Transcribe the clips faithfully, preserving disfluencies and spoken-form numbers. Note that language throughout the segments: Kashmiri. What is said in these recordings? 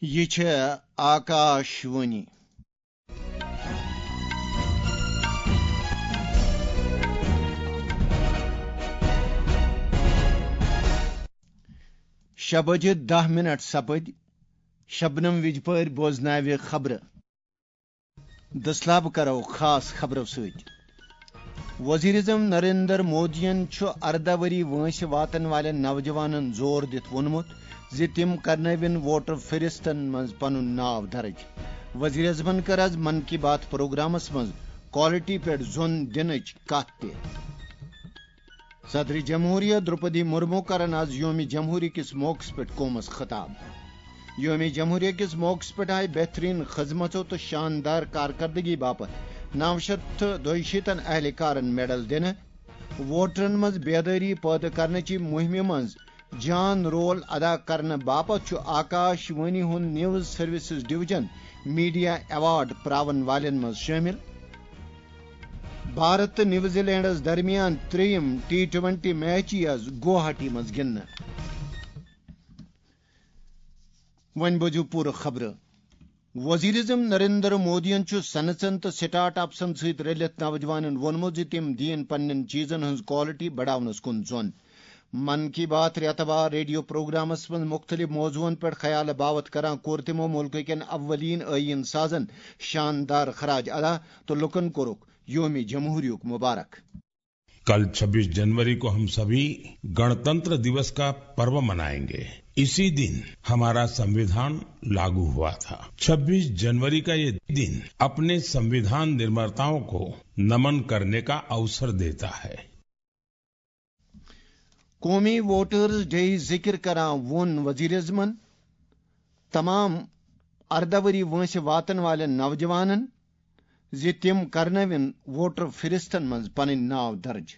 یہِ چھےٚ آکاش وانی۔ شےٚ بجے دَہ منٹ سپٕدۍ۔ شبنم وِجپٲرۍ بوزناوِ خبرٕ۔ دٔسلابہٕ کرو خاص خبرو سۭتۍ۔ وزیر اعظم نریندر مودیَن چھُ ارداہ ؤری وٲنٛسہِ واتن والٮ۪ن نوجوانن زور دِتھ ووٚنمُت زِ تِم کرنٲوِن ووٹر فہرستن منٛز پنُن ناو درج۔ وزیر اعظمن کٔر از من کی بات پروگرامس منٛز کوالٹی پٮ۪ٹھ زون دِنٕچ کتھ تہِ۔ صدر جمہوریہ درپدی مرمو کرن از یوم جمہوری کس موقعس پٮ۪ٹھ قومس خطاب۔ یوم جمہوریہ کس موقعس پٮ۪ٹھ آیہِ بہترین خدمژو تہٕ شاندار کارکردگی باپتھ نو شیٚتھ تہٕ دۄیہِ شیٖتن اہلکارن میڈل دِنہٕ۔ ووٹرن منٛز بیدٲری پٲدٕ کرنٕچہِ مُہمہِ منٛز جان رول ادا کرنہٕ باپتھ چھُ آکاش وانی ہُنٛد news services division media award پراون والٮ۪ن منٛز شٲمِل۔ بھارت تہٕ نیوزی لینڈس درمیان ترٛیٚیِم ٹی ٹوینٹی میچ یِیہِ از گوہاٹی منٛز گِنٛدنہٕ۔ وۄنۍ بوزِو پوٗرٕ خبرٕ۔ وزیر اعظم نریندر مودیَن چھُ صنعژن تہٕ سٹارٹ اپسن سۭتۍ رٔلِتھ نوجوانن ووٚنمُت زِ تِم دِیِن پننٮ۪ن چیزن ہٕنٛز کوالٹی بڑاونس کُن زون۔ من کی بات رٮ۪تہٕ وار ریڈیو پروگرامس منٛز مُختٔلِف موضوعن پٮ۪ٹھ خیال باوت کران کوٚر تِمو مُلکہٕ کٮ۪ن اولین ٲییٖن سازن شاندار خراج ادا تہٕ لُکن کوٚرُکھ یوم جمہوریہُک مبارک۔ कल छब्बीस जनवरी को हम सभी गणतंत्र दिवस का पर्व मनाएंगे। इसी दिन हमारा संविधान लागू हुआ था। छब्बीस जनवरी का ये दिन अपने संविधान निर्माताओं को नमन करने का अवसर देता है। قومی ووٹرز ڈے ذکر کران ووٚن وزیر اعظمن تمام ارداہ ؤری وٲنٛسہِ واتن والٮ۪ن نوجوانن زِ تِم کرنٲوِن ووٹر فہرستن منٛز پنٕنۍ ناو درج۔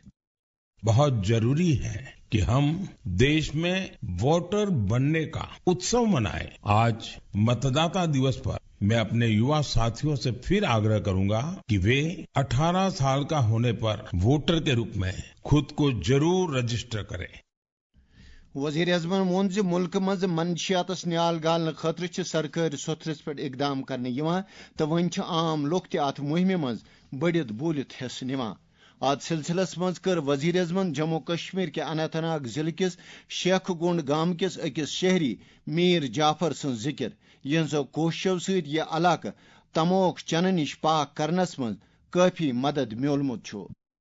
बहुत जरूरी है कि हम देश में वोटर बनने का उत्सव मनाएं। आज मतदाता दिवस पर मैं अपने युवा साथियों से फिर आग्रह करूंगा कि वे अठारह साल का होने पर वोटर के रूप में खुद को जरूर रजिस्टर करें। وزیر اعظمن ووٚن زِ مُلکہٕ منٛز منشیاتس نیال گالنہٕ خٲطرٕ چھِ سرکٲرۍ سوٚتھرِس پٮ۪ٹھ اقدام کرنہٕ یِوان تہٕ وۄنۍ چھِ عام لُکھ تہِ اتھ مُہِمہِ منٛز بٔڑِتھ بوٗلِتھ حصہٕ نِوان۔ اتھ سلسلس منٛز کٔر وزیر اعظمن جموں کشمیر کہِ اننت ناگ ضلعہٕ کِس شیخ گونڈ گامہٕ کِس أکِس شہری میر جعفر سٕنٛز ذِکِر، یِہنٛزو کوٗششو سۭتۍ یہِ علاقہٕ تموک چنہٕ نِش پاک کرنس منٛز کٲفی مدد میوٗلمُت چھُ۔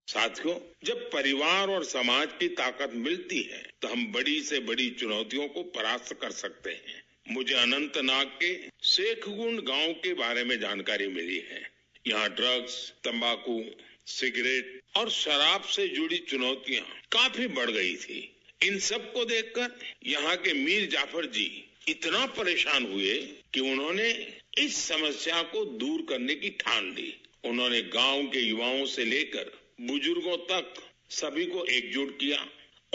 साथियों, जब परिवार और समाज की ताकत मिलती है, तो हम बड़ी से बड़ी चुनौतियों को परास्त कर सकते हैं। मुझे अनंतनाग के शेखगुंड गांव के बारे में जानकारी मिली है। यहाँ ड्रग्स, तंबाकू, सिगरेट और शराब से जुड़ी चुनौतियां काफी बढ़ गई थी। इन सब को देखकर यहाँ के मीर जाफर जी इतना परेशान हुए कि उन्होंने इस समस्या को दूर करने की ठान ली। उन्होंने गांव के युवाओं से लेकर बुजुर्गों तक सभी को एकजुट किया।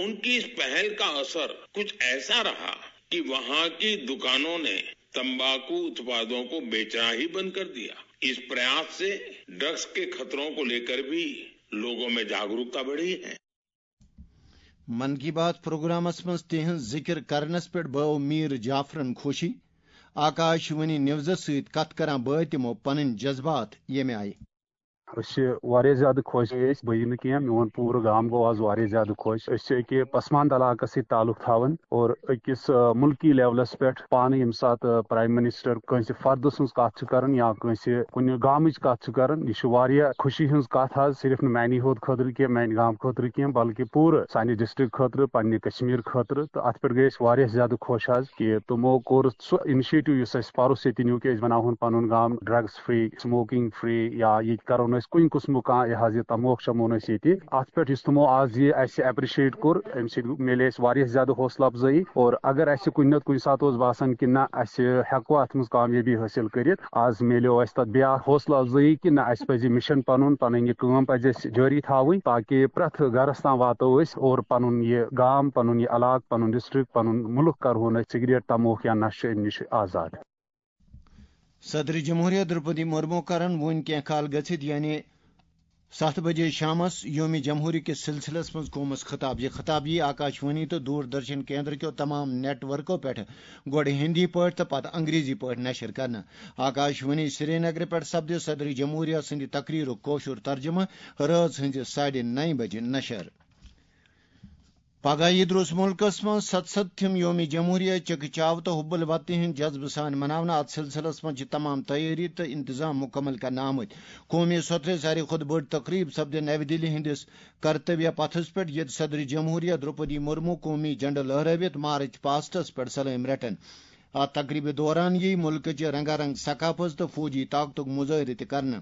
उनकी इस पहल का असर कुछ ऐसा रहा कि वहां की दुकानों ने तंबाकू उत्पादों को बेचना ही बंद कर दिया। इस प्रयास से ड्रग्स के खतरों को लेकर भी लोगों में जागरूकता बढ़ी है। من کی بات پروگرامس منٛز تِہنٛز ذِکِر کرنس پٮ۪ٹھ بٲو میٖر جعفرن خوشی۔ آکاش وانی نیوزس سۭتۍ کتھ کران بٲوۍ تِمو پنٕنۍ جذبات ییٚمہِ آیہِ۔ أسۍ چھِ واریاہ زیادٕ خۄش گٔے أسۍ، بہٕ یہِ نہٕ کینٛہہ، میون پوٗرٕ گام گوٚو آز واریاہ زیادٕ خۄش۔ أسۍ چھِ أکہِ پسماندٕ علاقس سۭتۍ تعلق تھاوان اور أکِس، آ، مُلکی لیولس پٮ۪ٹھ پانہٕ ییٚمہِ ساتہٕ، آ، پرایم منسٹر کٲنٛسہِ فردٕ سٕنٛز کتھ چھِ کران یا کٲنٛسہِ کُنہِ گامٕچ کتھ چھِ کران، یہِ چھِ واریاہ خوشی ہٕنٛز کتھ حظ، صرف نہٕ میانی ہوت خٲطرٕ کینٛہہ، میانہِ گامہٕ خٲطرٕ کینٛہہ، بلکہِ پوٗرٕ سانہِ ڈسٹرکٹ خٲطرٕ، پننہِ کشمیر خٲطرٕ۔ تہٕ اتھ پٮ۪ٹھ گٔے أسۍ واریاہ زیادٕ خۄش حظ کہِ تِمو کوٚر سُہ انیشیٹو یُس اَسہِ پرُس ییٚتہِ نیوٗ کہِ أسۍ بناوہون پنُن گام ڈرگس فری، سموکنگ فری، یا ییٚتہِ کرو نہٕ أسۍ کُنہِ قٕسمُک کانٛہہ یہِ حظ یہِ تموک چمو نہٕ أسۍ ییٚتہِ۔ اتھ پٮ۪ٹھ یُس تِمو آز یہِ اَسہِ ایپریشیٹ کوٚر، امہِ سۭتۍ میلے اَسہِ واریاہ زیادٕ حوصلہٕ افزٲیی۔ اور اگر اَسہِ کُنہِ نتہٕ کُنہِ ساتہٕ اوس باسان کہِ نہ، اَسہِ ہٮ۪کو اتھ منٛز کامیٲبی حٲصِل کٔرِتھ، آز میلیو اَسہِ تتھ بیٛاکھ حوصلہٕ افزٲیی کہِ نہ، اَسہِ پزِ مِشن پنُن، پنٕنۍ یہِ کٲم پزِ اَسہِ جٲری تھاوٕنۍ، تاکہِ پرٛٮ۪تھ گرس تام واتو أسۍ اور پنُن یہِ گام، پنُن یہِ علاقہٕ، پنُن ڈسٹرکٹ، پنُن مُلک کرہون أسۍ سگریٹ، تموک یا نشہٕ امہِ نِش آزاد۔ صدر جمہوریہ درپدی مرمو کرن وۄنۍ کینٛہہ کال گٔژھِتھ، یعنی ستھ بجے شامس یوم جمہوری کِس سلسلس منٛز قومس خطاب۔ یہِ خطاب یی آکاش وانی تہٕ دوردرشن کیندر کیو تمام نیٹ ورکو پٮ۪ٹھ گۄڈٕ ہندی پٲٹھۍ تہٕ پتہٕ انگریزی پٲٹھۍ نشر کرنہٕ۔ آکاش وانی سرینگرٕ پٮ۪ٹھ سپدِ صدر جمہوریہ سٕنٛدِ تقریرُک کٲشُر ترجمہٕ رٲژ ہٕنٛزِ ساڑِ نَیہِ بجہِ نشر۔ پگاہ یی درٛوس مُلکس منٛز ستستھِم یوم جمہوریہ چکہ چاو تہٕ حب الوطنی ہٕنٛدۍ جذبہٕ سان مناونہٕ۔ اتھ سلسلس منٛز چھِ تمام تیٲری تہٕ انتظام مکمل کرنہٕ آمٕتۍ۔ قومی سوتھرِ ساروی کھۄتہٕ بٔڑ تقریب سپدِ نوِ دِلہِ ہٕنٛدِس کرتویہ پتھس پٮ۪ٹھ، ییٚتہِ صدر جمہوریہ درٛوپدی مرمو قومی جھنڈٕ لہرٲوِتھ مارچ پاسٹس پٮ۪ٹھ سلٲمۍ رٹن۔ اتھ تقریبہِ دوران ییہِ مُلکٕچہِ رنگا رنگ ثقافت تہٕ فوجی طاقتُک مظٲہرٕ تہِ کرنہٕ۔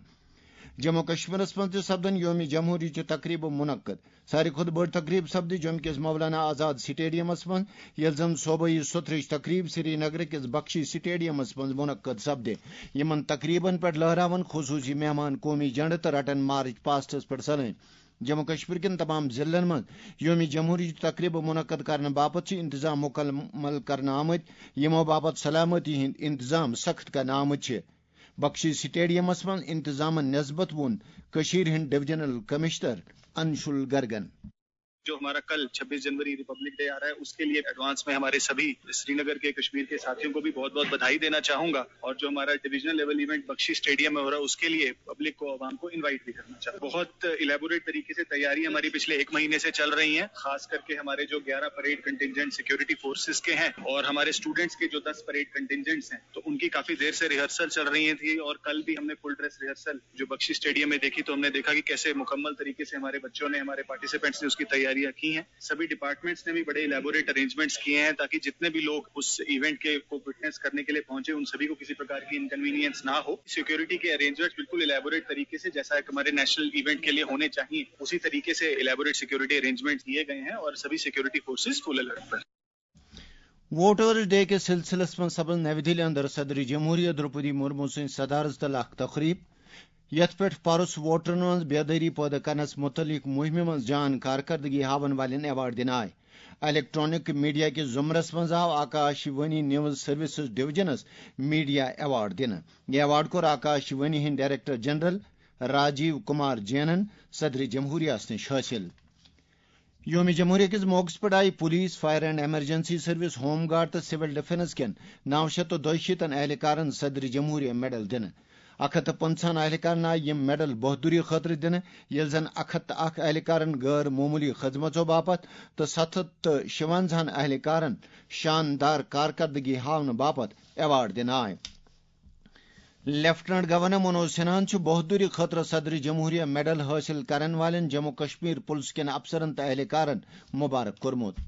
جموں کشمیرس منٛز تہِ سپدن یوم جمہوریہ چہِ تقریبہٕ منعقد۔ ساروی کھۄتہٕ بٔڑ تقریب سپدِ جوٚمہِ کِس مولانا آزاد سٹیڈیمس منٛز، ییٚلہِ زن صوبٲئی سوٚتھرٕچ تقریب سرینگرٕ کِس بخشی سٹیڈیمس منٛز منعقد سپدِ۔ یِمن تقریبن پٮ۪ٹھ لہراون خصوٗصی مہمان قومی جھنڈٕ تہٕ رٹن مارچ پاسٹس پٮ۪ٹھ سلٲمۍ۔ جموں کشمیر کٮ۪ن تمام ضلعن منٛز یوم جمہوریہ چہِ تقریبہٕ منعقد کرنہٕ باپتھ چھِ انتظام مکمل کرنہٕ آمٕتۍ، یِمو باپتھ سلامتی ہٕنٛدۍ انتظام سخت کرنہٕ آمٕتۍ چھِ۔ بخشی سٹیڈیمس منٛز انتظامن نسبت ووٚن کٔشیٖرِ ہٕنٛدۍ ڈویژنل کمشنر انشول گرگن۔ جو ہمارا کل چھبیس جنوری ریپبلک ڈے آ رہا ہے، اس کے لیے ایڈوانس میں ہمارے سبھی سرینگر کے، کشمیر کے ساتھیوں کو بھی بہت بہت بدھائی دینا چاہوں گا، اور جو ہمارا ڈویژنل لیول ایونٹ بخشی اسٹیڈیم میں ہو رہا ہے، اس کے لیے پبلک کو، عوام کو انوائٹ بھی کرنا چاہتا ہوں۔ بہت الیبوریٹ طریقے سے تیاری ہماری پچھلے ایک مہینے سے چل رہی ہیں، خاص کر کے ہمارے جو گیارہ پریڈ کنٹینجنٹ سیکیورٹی فورسز کے ہیں اور ہمارے اسٹوڈنٹس کے جو دس پریڈ کنٹینجنٹس ہیں، تو ان کی کافی دیر سے ریہرسل چل رہی تھی اور کل بھی ہم نے فل ڈریس ریہرسل جو بخشی اسٹیڈیم میں دیکھی، تو ہم نے دیکھا کہ کیسے مکمل طریقے سے ہمارے بچوں نے، ہمارے پارٹیسپینٹس نے اس کی تیاریاں کی ہیں۔ سبھی ڈپارٹمنٹس نے بھی بڑے الیبوریٹ ارینجمنٹس کیے ہیں تاکہ جتنے بھی لوگ اس ایونٹ کے کو وٹنس کرنے کے لیے پہنچے، ان سبھی کو کسی پرکار کی انکنوینئنس نہ ہو۔ سیکیورٹی کے ارینجمنٹس بالکل الیبوریٹ طریقے سے، جیسا ایک ہمارے نیشنل ایونٹ کے لیے ہونے چاہیے، اسی طریقے سے الیبوریٹ سیکیورٹی ارینجمنٹس کیے گئے ہیں اور سبھی سیکیورٹی فورسز فل الرٹ پر۔ ووٹرز ڈے کِس سلسلس منٛز سپز نَوِ دِلہِ اندر صدر جمہوریہ درٛوپدی مرمو سٕنٛدِ صدارت تل اکھ تقریب، یتھ پٮ۪ٹھ پرُس ووٹرن منٛز بیدٲری پٲدٕ کرنس متعلق مہمہِ منٛز جان کارکردگی ہاون والٮ۪ن ایوارڈ دِنہٕ آے۔ الیکٹرانک میڈیا کِس زمرس منٛز آو آکاش وانی نیوز سروسز ڈویژنس میڈیا ایوارڈ دِنہٕ۔ یہِ ایوارڈ کوٚر آکاش وانی ہٕنٛدۍ ڈائریکٹر جنرل راجیو کمار جینن صدر جمہوریہ نِش حٲصِل۔ یوم جمہوریہ کِس موقعس پٮ۪ٹھ آیہِ police, fire and emergency service, home guard تہٕ سول ڈیفنس کٮ۪ن نو شیٚتھ تہٕ دۄیہِ شیٖتن اہلکارن صدر جمہوریہ میڈل دِنہٕ۔ اکھ ہتھ تہٕ پنٛژاہن اہلکارن آیہِ یِم میڈل بہادری خٲطرٕ دِنہٕ، ییٚلہِ زن اکھ ہتھ تہٕ اکھ اہلکارن غٲر معموٗلی خدمژو باپتھ تہٕ ستھ ہتھ تہٕ شُونٛزاہن اہلکارن شاندار کارکردگی ہاونہٕ باپتھ ایوارڈ دِنہٕ آے۔ لیفٹیننٹ گورنر منوج سنہاہن چھُ بہادری خٲطرٕ صدر جمہوریہ میڈل حٲصِل کرن والٮ۪ن جموں کشمیر پُلس کٮ۪ن افسرن تہٕ اہلکارن مبارک کوٚرمُت۔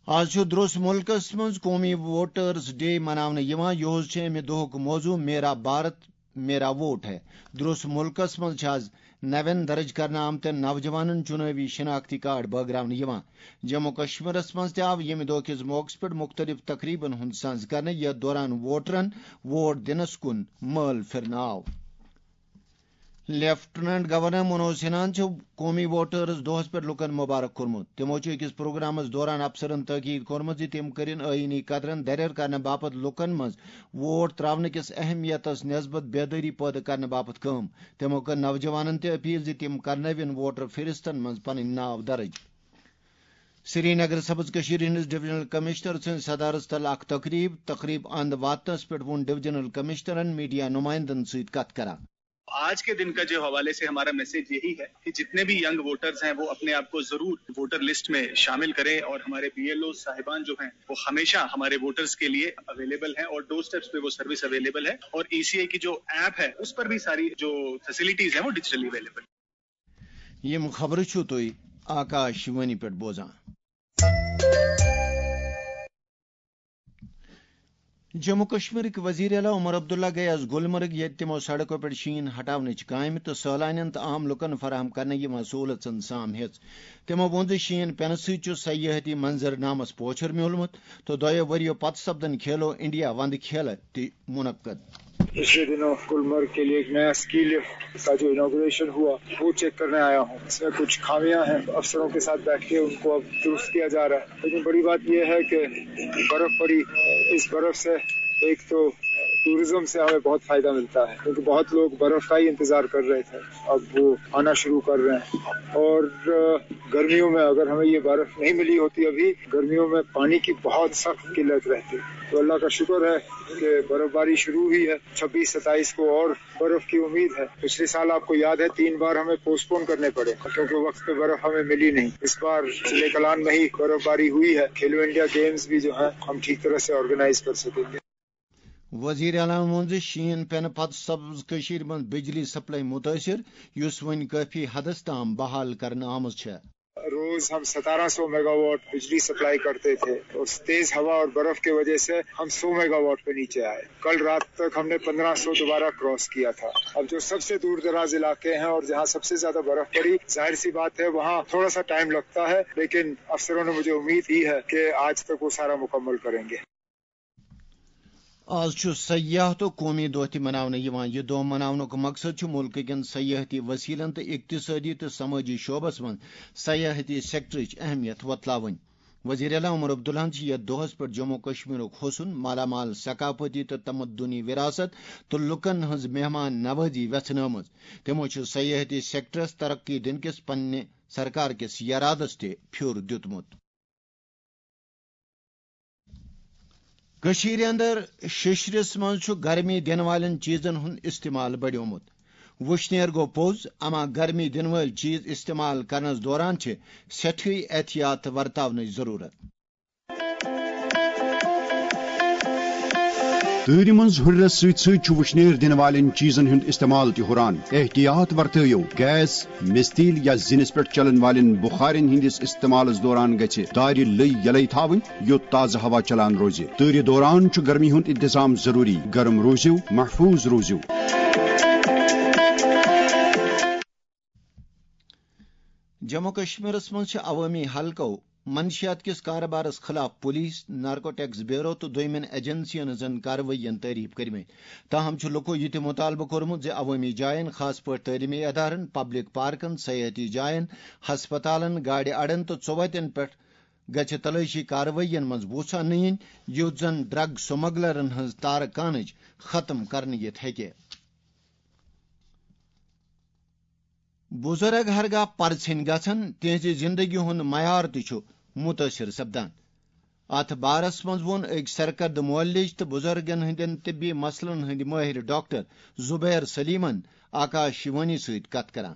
آز چھُ درٛوس مُلکس منٛز قومی ووٹرز ڈے مناونہٕ یِوان۔ یِہُس چھُ اَمہِ دۄہُک موضوع میرا بھارت میرا ووٹ ہے۔ درٛوس مُلکس منٛز چھِ آز نوٮ۪ن درٕج کرنہٕ آمتٮ۪ن نوجوانن چُنٲوی شناختی کارڈ بٲگراونہٕ یِوان۔ جموں کشمیرس منٛز تہِ آو ییٚمہِ دۄہ کِس موقعس پٮ۪ٹھ مُختٔلِف تقریٖبن ہُنٛد سنز کرنہٕ، یَتھ دوران ووٹرن ووٹ دِنس کُن مٲل پھِرنہٕ آو۔ لیفٹیننٹ گورنر منوج سنہاہن چھُ قومی ووٹرز دۄہس پٮ۪ٹھ لوٗکن مبارک کوٚرمُت۔ تِمو چھُ أکِس پروگرامس دوران افسرن تاکید کوٚرمُت زِ تِم کٔرِن آئینی قدرن دریر کرنہٕ باپتھ لوٗکن منٛز ووٹ تراونہٕ کِس اہمیتس نسبت بیدٲری پٲدٕ کرنہٕ باپتھ کٲم۔ تِمو کٔر نوجوانن تہِ اپیل زِ تِم کرنٲوِن ووٹر فہرستن منٛز پنٕنۍ ناو درٕج۔ سرینگر سبز کشمیر ہٕنٛدِس ڈویژنل کمشنر سٕنٛدِ صدارت تل اکھ تقریب، تقریب اند واتنس پٮ۪ٹھ ووٚن ڈویژنل کمشنرن میڈیا نمائندن سۭتۍ کتھ کران۔ آج کے دن کا جو حوالے سے ہمارا میسج یہی ہے کہ جتنے بھی ینگ ووٹرز ہیں، وہ اپنے آپ کو ضرور ووٹر لسٹ میں شامل کریں اور ہمارے بی ایل او صاحبان جو ہیں، وہ ہمیشہ ہمارے ووٹرز کے لیے اویلیبل ہیں اور ڈور اسٹیپس پہ وہ سروس اویلیبل ہے اور ای سی آئی کی جو ایپ ہے، اس پر بھی ساری جو فیسلٹیز ہیں، وہ ڈیجیٹلی اویلیبل۔ یِم خبرٕ چھِو تُہۍ آکاش وانی پٮ۪ٹھ بوزان۔ جموں کشمیرٕکۍ وزیر اعلیٰ عمر عبداللہ گٔیہِ آز گلمرگ، ییٚتہِ تِمو سڑکو پٮ۪ٹھ شیٖن ہٹاونٕچ کامہِ تہٕ سٲلانٮ۪ن تہٕ عام لوٗکن فراہم کرنہٕ یِوان سہوٗلژن سام ہیٚژ۔ تِمو ووٚن زِ شیٖن پینہٕ سۭتۍ چھُ سیاحتی منظرنامس پوچھر میوٗلمُت تہٕ دۄیو ؤرۍ یو پتہٕ سپدن کھیلو انڈیا وندٕ کھیلہٕ تہِ منعقد۔ پچھلے دنوں گلمرگ کے لیے ایک نیا اسکی لفٹ کا جو اناگوریشن ہوا، وہ چیک کرنے آیا ہوں۔ اس میں کچھ خامیاں ہیں، افسروں کے ساتھ بیٹھ کے ان کو اب درست کیا جا رہا ہے۔ لیکن بڑی بات یہ ہے کہ برف پڑی، اس برف سے ایک تو ٹورزم سے ہمیں بہت فائدہ ملتا ہے، کیونکہ بہت لوگ برف کا ہی انتظار کر رہے تھے، اب وہ آنا شروع کر رہے ہیں۔ اور، آ، گرمیوں میں اگر ہمیں یہ برف نہیں ملی ہوتی ابھی، گرمیوں میں پانی کی بہت سخت قلت رہتی۔ تو اللہ کا شکر ہے کہ برف باری شروع ہوئی ہے۔ چھبیس ستائیس کو اور برف کی امید ہے۔ پچھلے سال آپ کو یاد ہے، تین بار ہمیں پوسٹ پون کرنے پڑے، کیونکہ وقت پہ برف ہمیں ملی نہیں۔ اس بار ضلع کلان میں ہی برف باری ہوئی ہے، کھیلو انڈیا گیمز بھی جو ہے، ہم ٹھیک طرح سے آرگنائز کر سکیں گے۔ وزیر اعلیٰ ووٚن زِ شیٖن پٮ۪نہٕ پتہٕ سپٕز کٔشیٖرِ منٛز بجلی سپلائی مُتٲثِر، یُس وۄنۍ کٲفی حدس تام بحال کرنہٕ آمٕژ چھےٚ۔ روز ہم ستارہ سو میگا واٹ بجلی سپلائی کرتے تھے، اور تیز ہوا اور برف کی وجہ سے ہم سو میگا واٹ پہ نیچے آئے۔ کل رات تک ہم نے پندرہ سو دوبارہ کراس کیا تھا۔ اب جو سب سے دور دراز علاقے ہیں اور جہاں سب سے زیادہ برف پڑی، ظاہر سی بات ہے، وہاں تھوڑا سا ٹائم لگتا ہے، لیکن افسروں نے مجھے امید دی ہے کہ آج تک وہ سارا مکمل کریں گے۔ آز چھُ سیاحت و قومی دۄہ تہِ مناونہٕ یِوان۔ یہِ دۄہ مناونُک مقصد چھُ مُلکہٕ کٮ۪ن سیاحتی وسیلن تہٕ اقتصٲدی تہٕ سمٲجی شعبس منٛز سیاحتی سیکٹرٕچ اہمیت وۄتلاوٕنۍ۔ وزیر اعلیٰ عمر عبداللہن چھِ یتھ دۄہس پٮ۪ٹھ جموں کشمیرُک حسن، مالا مال ثقافتی تہٕ تمدنی وراثت تہٕ لوٗکن ہٕنٛز مہمان نوازی ویژھنٲومٕژ۔ تِمو چھُ سیاحتی سیکٹرس ترقی دِنہٕ کِس پننہِ سرکار کِس یرادس تہِ پھیُر دیُتمُت۔ کٔشیٖرِ اندر ششرس منٛز چھُ گرمی دِنہٕ والٮ۪ن چیٖزن ہُنٛد استعمال بڑیومُت۔ وُشنیر گوٚو پوٚز، اما گرمی دِنہٕ وٲلۍ چیٖز استعمال کرنس دوران چھِ سٮ۪ٹھٕے احتیاط ورتاونٕچ ضروٗرت۔ تۭرِ منٛز ہُرٮ۪رس سۭتۍ سۭتۍ چھُ وُشنیر دِنہٕ والٮ۪ن چیٖزن ہُنٛد استعمال تہِ ہُران۔ احتیاط ورتٲیِو، گیس، مِستیٖل یا زِنِس پٮ۪ٹھ چلن والٮ۪ن بُخارٮ۪ن ہٕنٛدِس استعمالس دوران گژھِ دارِ لٔۍ یلے تھاوٕنۍ، یوٚت تازٕ ہوا چلان روزِ۔ تۭرِ دوران چھُ گرمی ہُنٛد انتظام ضروٗری۔ گرم روٗزِو، محفوٗظ روٗزِو۔ جموں کشمیرس منٛز چھِ عوٲمی حلقو منشیات کِس کارٕبارس خٕلاف پُلیٖس، نارکوٹکس بیورو تہٕ دوٚیمٮ۪ن ایجنسین ہٕنٛزن کاروٲیین تعریف کٔرمٕتۍ۔ تاہم چھُ لُکو یہِ تہِ مُطالبہٕ کوٚرمُت زِ عوٲمی جاین، خاص پٲٹھۍ تعلیمی ادارن، پبلک پارکن، سیاحتی جاین، ہسپتالن، گاڑِ اڈن تہٕ ژوتٮ۪ن پٮ۪ٹھ گژھِ تلٲشی کاروٲیین منٛز وُژھ اننہٕ یِنۍ، یُتھ زن ڈرگ سمگلرن ہٕنٛز تارٕ کانٕچ ختم کرنہٕ یِتھ ہیٚکہِ۔ بُزرگ ہرگاہ پرژھٕنۍ گژھن، تِہنٛزِ زِندگی ہُنٛد معیار تہِ چھُ مُتٲثِر سپدان۔ اتھ بارس منٛز ووٚن أکۍ سرکردٕ معالج تہٕ بُزرگن ہٕنٛدٮ۪ن طبی مسلن ہٕنٛدۍ مٲہِر ڈاکٹر زُبیر سلیمن آکاش وانی سۭتۍ کتھ کران۔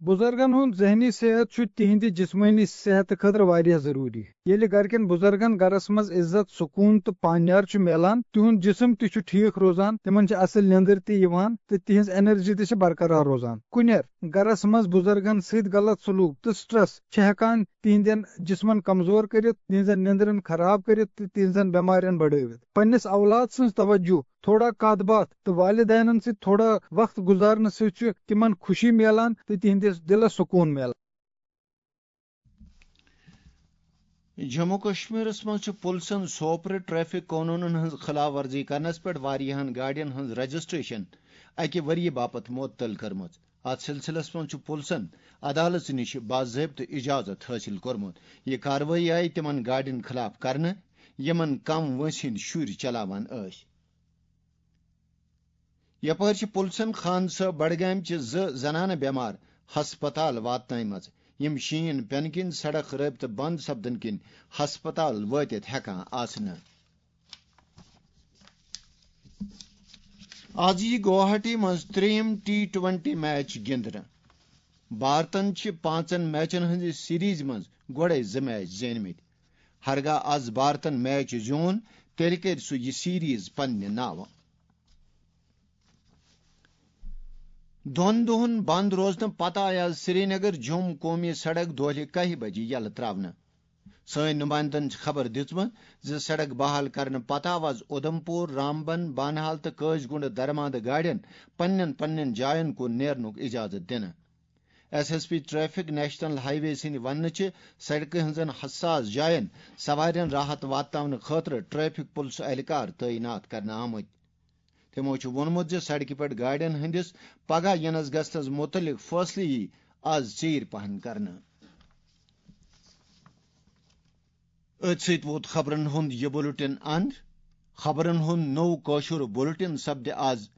بُزرگن ہُنٛد ذہنی صحت چھُ تِہنٛدِ جسمٲنی صحتہٕ خٲطرٕ واریاہ ضروٗری۔ ییٚلہِ گرِکٮ۪ن بُزرگن گرس منٛز عزت، سکوٗن تہٕ پانیار چھُ میلان، تِہُنٛد جسم تہِ چھُ ٹھیٖک روزان، تِمن چھِ اصل نیندٕر تہِ یِوان تہٕ تِہنٛز انرجی تہِ چھِ برقرار روزان۔ کُنٮ۪ر گرس منٛز بُزرگن سۭتۍ غلط سلوک تہٕ سٹریس چھِ ہٮ۪کان تِہنٛدٮ۪ن جسمن کمزور کٔرِتھ، تِہنٛزن نیندرن خراب کٔرِتھ تہٕ تِہنٛزن بٮ۪مارٮ۪ن بڑٲوِتھ۔ پننِس اولاد سٕنٛز توجہ، تھوڑا کتھ باتھ تہٕ والدینن سۭتۍ تھوڑا وقت گُزارنہٕ سۭتۍ چھُ تِمن خوشی میلان تہٕ تِہنٛدِس دِلس سکوٗن میلان۔ جموں کشمیرس منٛز چھُ پُلسن سوپرٕ ٹریفک قونوٗنن ہٕنٛز خلاف ورزی کرنس پٮ۪ٹھ واریاہن گاڑٮ۪ن ہٕنٛز رجسٹریشن اکہِ ؤریہِ باپتھ معطل کٔرمٕژ۔ اتھ سلسلس منٛز چھُ پُلسن عدالتس نِش باضٲبطہٕ اجازت حٲصِل کوٚرمُت۔ یہِ کاروٲیی آیہِ تِمن گاڑٮ۪ن خلاف کرنہٕ، یِمن کم وٲنٛسہِ ہٕنٛدۍ شُرۍ چلاوان ٲسۍ۔ یپٲرۍ چھِ پُلسن خان صٲب بڈگامہِ چہِ زٕ زنانہٕ بٮ۪مار ہسپتال واتنٲومژٕ، یِم شیٖن پٮ۪نہٕ کِنۍ سڑک رٲبطہٕ بنٛد سپدنہٕ کِنۍ ہسپتال وٲتِتھ ہٮ۪کان آسہٕ نہٕ۔ آز یی گوہاٹی منٛز ترٛیٚیِم ٹی ٹوینٹی میچ گِنٛدنہٕ۔ بھارتن چھِ پانٛژن میچن ہٕنٛزِ سیریز منٛز گۄڈے زٕ میچ زیٖنۍمٕتۍ۔ ہرگاہ آز بھارتن میچ زیوٗن، تیٚلہِ کرِ سُہ یہِ سیریز پننہِ ناوٕ۔ دۄن دۄہن بند روزنہٕ پتہٕ آیہِ آز سرینگر جوم قومی سڑک دۄہلہِ کاہہِ بجہِ یلہٕ تراونہٕ۔ سٲنۍ نُمایندن چھِ خبر دِژمٕژ زِ سڑک بحال کرنہٕ پتہٕ آو آز اُدھمپور، رامبن، بانہال تہٕ کٲسۍ گُنڈ درماندٕ گاڑٮ۪ن پننٮ۪ن پننٮ۪ن جاین کُن نیرنُک اجازت دِنہٕ۔ S S P traffic national highway سٕنٛدِ وننہٕ چھِ سڑکہِ ہٕنٛزن حساس جاین سوارٮ۪ن راحت واتناونہٕ خٲطرٕ ٹریفک پُلسہٕ اہلکار تعینات کرنہٕ آمٕتۍ۔ تِمو چھُ ووٚنمُت زِ سڑکہِ پٮ۪ٹھ گاڑٮ۪ن ہٕنٛدِس پگاہ یِنَس گژھنَس مُتعلِق فٲصلہٕ یِیہِ آز ژیٖرۍ پہن کرنہٕ۔ أتھۍ سۭتۍ ووت خبرن ہُنٛد یہِ بُلٹن اند۔ خبرن ہُنٛد نوٚو کٲشُر بُلٹن سپدِ آز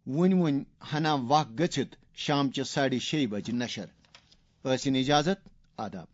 وُنہِ وُنہِ ہنا وق گٔژھِتھ شامچہِ ساڑِ شیٚیہِ بجہِ نشر۔ ٲسِن اجازت، آداب۔